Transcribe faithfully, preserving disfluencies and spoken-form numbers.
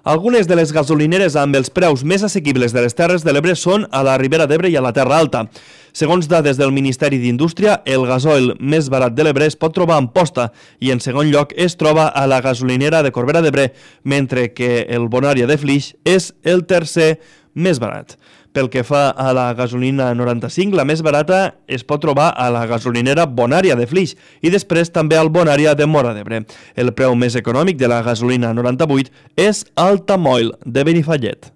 Algunes de les gasolineres amb els preus més assequibles de les Terres de l'Ebre són a la Ribera d'Ebre i a la Terra Alta. Segons dades del Ministeri d'Indústria, el gasoil més barat de l'Ebre es pot trobar a Amposta i en segon lloc es troba a la gasolinera de Corbera d'Ebre, mentre que el Bonària de Flix és el tercer més barat. Pel que fa a la gasolina noranta-cinc, la més barata es pot trobar a la gasolinera Bonària de Flix i després també al Bonària de Móra d'Ebre. El preu més econòmic de la gasolina noranta-vuit és Altamoil de Benifallet.